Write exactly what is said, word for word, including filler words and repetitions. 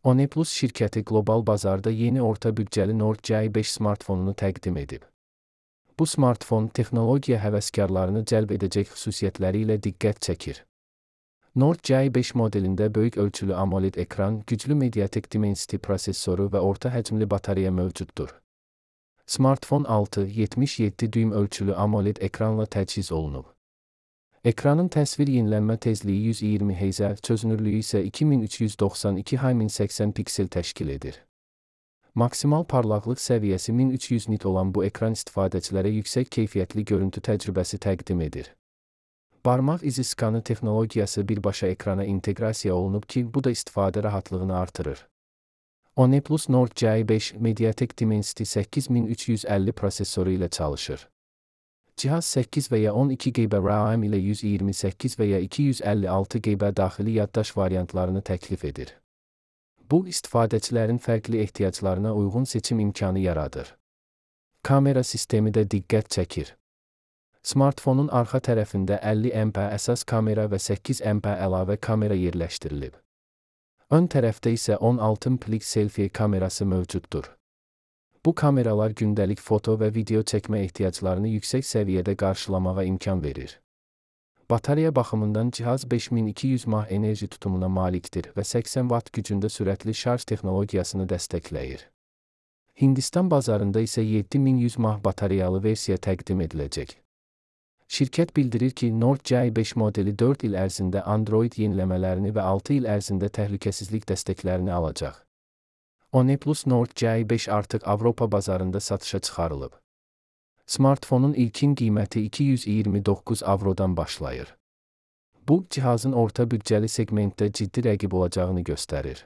OnePlus şirkəti qlobal bazarda yeni orta büdcəli Nord C beş smartfonunu təqdim edib. Bu smartfon texnologiya həvəskarlarını cəlb edəcək xüsusiyyətləri ilə diqqət çəkir. Nord C beş modelində böyük ölçülü AMOLED ekran, güclü Mediatek Dimensity prosesoru və orta həcmli batareya mövcuddur. Smartfon altı nöqtə yetmiş yeddi düym ölçülü AMOLED ekranla təchiz olunub. Ekranın təsvir yenilənmə tezliyi yüz iyirmi hertz, çözünürlüyü isə iki min üç yüz doxsan iki mal min səksən piksel təşkil edir. Maksimal parlaqlıq səviyyəsi min üç yüz nit olan bu ekran istifadəçilərə yüksək keyfiyyətli görüntü təcrübəsi təqdim edir. Barmaq izi skanı texnologiyası birbaşa ekrana inteqrasiya olunub ki, bu da istifadə rahatlığını artırır. OnePlus Nord C beş Mediatek Dimensity səkkiz min üç yüz əlli prosesoru ilə çalışır. Cihaz səkkiz və ya on iki giqabayt RAM ilə yüz iyirmi səkkiz və ya iki yüz əlli altı giqabayt daxili yaddaş variantlarını təklif edir. Bu, istifadəçilərin fərqli ehtiyaclarına uyğun seçim imkanı yaradır. Kamera sistemi də diqqət çəkir. Smartfonun arxa tərəfində əlli megapiksellik əsas kamera və səkkiz megapiksellik əlavə kamera yerləşdirilib. Ön tərəfdə isə on altı megapiksellik selfie kamerası mövcuddur. Bu kameralar gündəlik foto və video çəkmə ehtiyaclarını yüksək səviyyədə qarşılamağa imkan verir. Batareya baxımından cihaz beş min iki yüz mAh enerji tutumuna malikdir və səksən vatt gücündə sürətli şarj texnologiyasını dəstəkləyir. Hindistan bazarında isə yeddi min yüz mAh batareyalı versiya təqdim ediləcək. Şirkət bildirir ki, Nord C beş modeli dörd il ərzində Android yeniləmələrini və altı il ərzində təhlükəsizlik dəstəklərini alacaq. OnePlus Nord C beş artıq Avropa bazarında satışa çıxarılıb. Smartfonun ilkin qiyməti iki yüz iyirmi doqquz avrodan başlayır. Bu, cihazın orta büdcəli segmentdə ciddi rəqib olacağını göstərir.